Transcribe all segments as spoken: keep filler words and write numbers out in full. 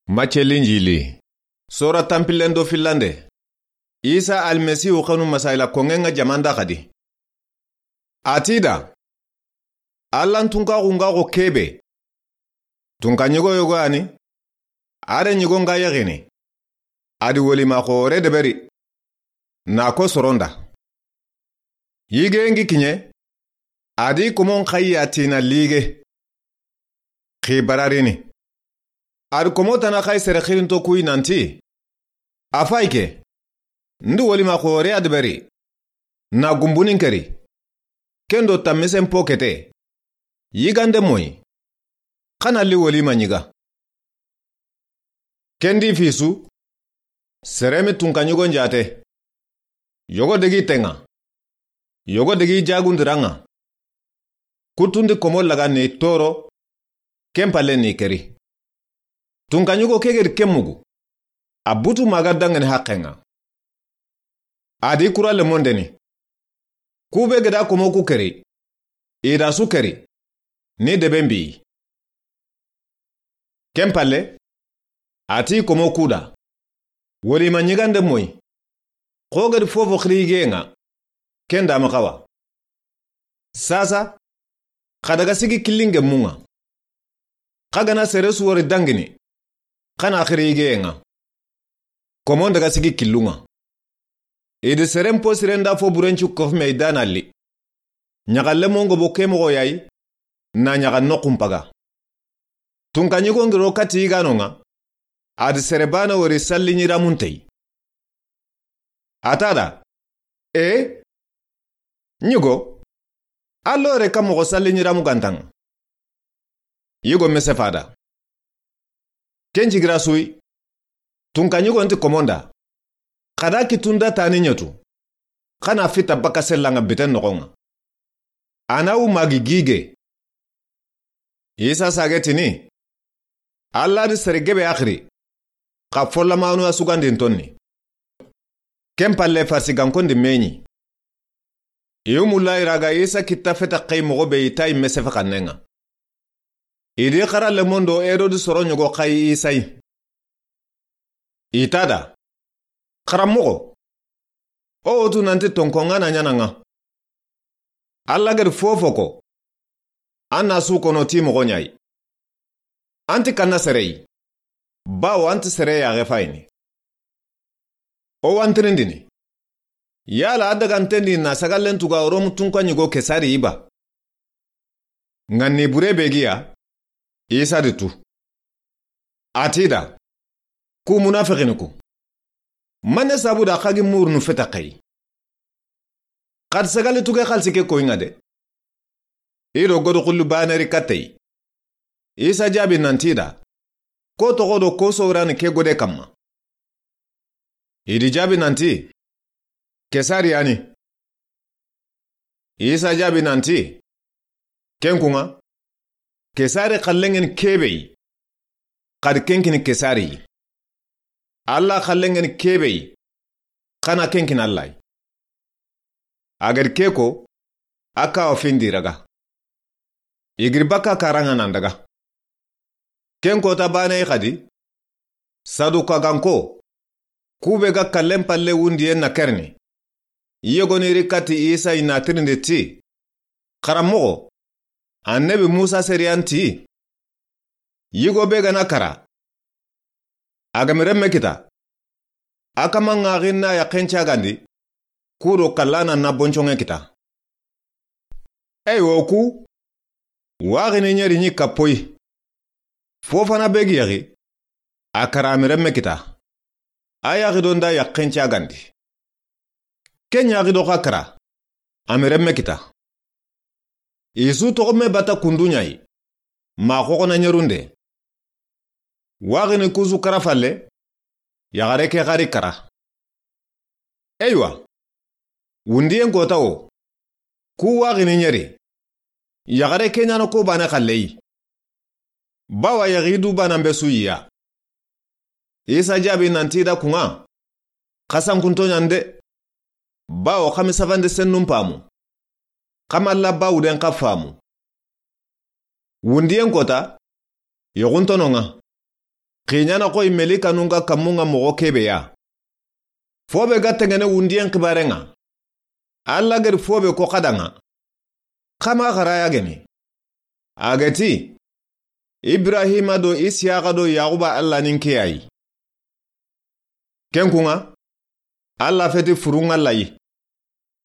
Macce Linjili. Sora tanpillen do fillande. Isa Almasihu xanu masayila koŋŋen ŋa jamanda xadi. A ti da, Allan tunkaxu ŋa xo kebe. Tunka ɲigo yogo yani, a da ɲigo ŋa yaxini. A di wolima xoore deberi. Na ko soronda. Yige ŋi kiɲe, a di komon xayi a tina lige. Xi bararini. A di komo tana xayi sere xirinto kuyi nanti, a fayi ke, ndi wolima xoore a deberi. Na gumbunin keri. Kendo tamisen po kete. Yigande moyi. Xana li wolima ɲiga. Kendi fisu. Seremi tunka ɲigo njate. Yogo degi tenŋa. Yogo degi jagundiranŋa. Kutundi komo laga ni toro. Ken palle ni keri. Tunka ɲigo ke gedi ken mugu. A butu maga dangani haqqen ŋa. A di kura lemondeni. Kube geda komo ku keri. I da su keri. Ni deben bi. Ken palle. A ti komo kuda. Wolima ɲigande moyi. Xo gedi fofo xiri yige ŋa. Ken da ma xawa. Sasa. Xa daga sigi killinge munŋa. Xa gana sere su wori dangini. Xana xiri yige ŋa. Komon daga sigi killunŋa. I di seren po sirenda fo burencu kofume i dana li. Ɲaxalle mongo bo ke moxo yayi. Na ɲaxa noxun paga. Tunka ɲigo ŋiro kati yigano ŋa. A di sere bana wori salli ɲiramuntey. A ta da. E. Ɲigo. Allo re ka moxo salli ɲiramu gantanŋa. Yigo mese fada. Ken jigira suyi. Tunka ɲigo nti komonda. Xada kitunda tani ɲetu. Xana fita baka sellanŋa biten noxonŋa. A na wu magi gige. Isa sage tini. Alla di sere gebe axiri. Xa follamanu a sugandin tonni. Ken palle farsi gankondi meɲi. I wumulla i raga Isa kitta feta xayi moxo be i tayi mesefe xannen ŋa. I di xara lemondo Erodi soro ɲogo xayi Isa yi. I ta da. Xaranmoxo. O wotu nanti tonkonŋa na ɲananŋa. Alla gedi fofo ko. An na su kono ti moxo ɲayi. An ti kanna sereyi. Bawo an ti sere yaxe fayini. O wantirindini. Yala a dagantendi na sagallen tuga Romu tunka ɲigo Kesari yi ba? Ŋa ni bure be giya. Isa di tu. A ti da. Ku munafixini ku. Manne sabu da xa gi murunu feta xayi. Xadi sagali tuge xalisi ke koyinŋa de. I do godo xullu baneri kattey. Isa jaabi nanti da. Ko toxo do ko sowrani ke gode kamma. I di jaabi nanti. Kesari yani. Isa jaabi nanti. Ken kunŋa. Kesari xallenŋeni kebe yi. Xadi kenkini Kesari yi. Alla xallenŋeni kebe yi. Xana kenkini Alla yi. A gadi ke ko. A kawa findi raga. I giri baka karanŋa nan daga. Ken kota bane xadi. Saduka ganko. Kube ga kallen palle wundiyen na kerini. Yogoni ri kati Isa i na tirindi ti. Xaranmoxo. Annabi Musa seriyan ti. Yigo be gana kara. A gami remme kita. A kama ŋaxin na yaxen cagandi. Ku do kallana na bonconŋe kita. Ey wo ku. Waxini ɲeri ɲi kappoyi. Fofana be gi yaxi. A kara ami remme kita. A yaxi do nda yaxen cagandi. Ken yaxi do xa kara. Ami remme kita. I su toxo me bata kundu ɲayi. Ma xoxona ɲerunde. Waxini kusu kara falle. Yaxare ke xari kara. Eywa. Wundiyen kota wo. Ku waxini ɲeri. Yaxare ke ɲana ko bane xalleyi. Bawa yaxi du banan be su yiya. Isa jaabi nanti da kunŋa. Xasankunto ɲande. Bawo xami safande sennun pamu. Xamalla bawuden xa famu. Wundiyen kota. Yoxuntono ŋa. Xiɲana xoyi melikanun ga kammun ŋa moxo kebe ya. Fo be ga tengene wundiyen xibaren ŋa, Alla geri fo be ko xa da ŋa. Xa ma xara ya geni. A ga ti, Ibrahima do Isiyaxa do Yaxuba Alla ni n ke ya yi. Ken kun ŋa, Alla feti furun ŋa layi.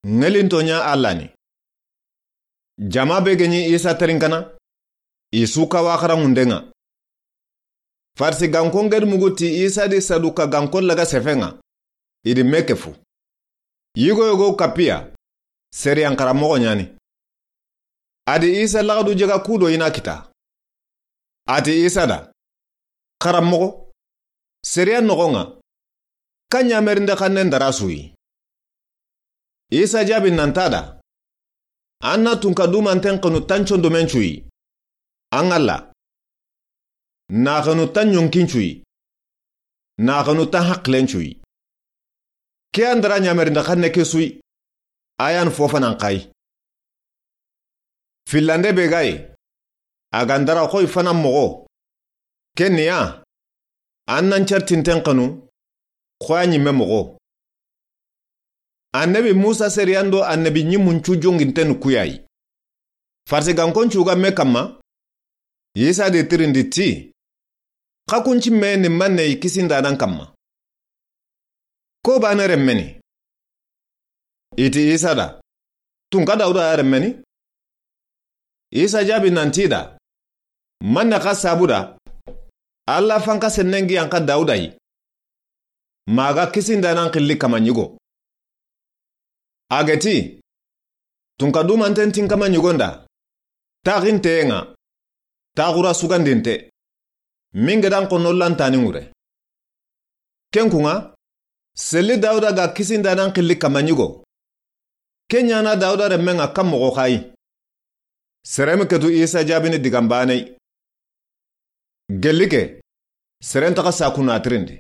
Ŋelinto ɲa Alla ni. Jama be geni Isa terinkana, i su kawa xaranŋunden ŋa. Farisi gankon gedi mugu ti Isa di Saduka gankon laga sefen ŋa, i di me kefu. Yigo yogo kapiya, seriyan xaranmoxo ɲani. A di Isa laxadu jega kudo i na kita. A ti Isa da, Xaranmoxo, seriya noxon ŋa, ka ɲamerinde xannen dara su yi? Isa jaabi nan ti a da, An na tunka dumanten xenu tan condomen cu yi. An Alla. Na xenu tan ɲonkin cu yi. Na xenu tan haqilen cu yi. Ke an dara ɲamerinde xanne ke su yi. A yan fo fanan xa yi. Fillande be ga yi, a ga n dara xoyi fanan moxo. Ken ni ya, an nan certinten xenu, xoya ɲimme moxo. Annabi Musa seriyan do annabi ɲimmun cu jongintenu ku ya yi. Farisi gankon cu ga me kamma, Isa di tirindi ti, Xa kun ci me ni manne yi kisindanan kamma? Ko bane renme ni? I ti Isa da, Tunka Dawuda ya renme ni? Isa jaabi nan ti i da, Manne xa sabu da, Alla fanka sennen gi yan xa Dawuda yi. Ma ga kisindanan xilli kama ɲigo. A ga ti, Tunka dumanten ti n kama ɲigon da, Taxinteyen ŋa, taxura sugandinte, min gedan xonno lantani ŋure. Ken kun ŋa, selli Dawuda ga kisindanan xilli kama ɲigo. Ke ɲana Dawuda renmen ŋa kan moxo xa yi. Sere mi ketu Isa jaabini digan bane yi. Gelli ke, seren taxa saku na tirindi.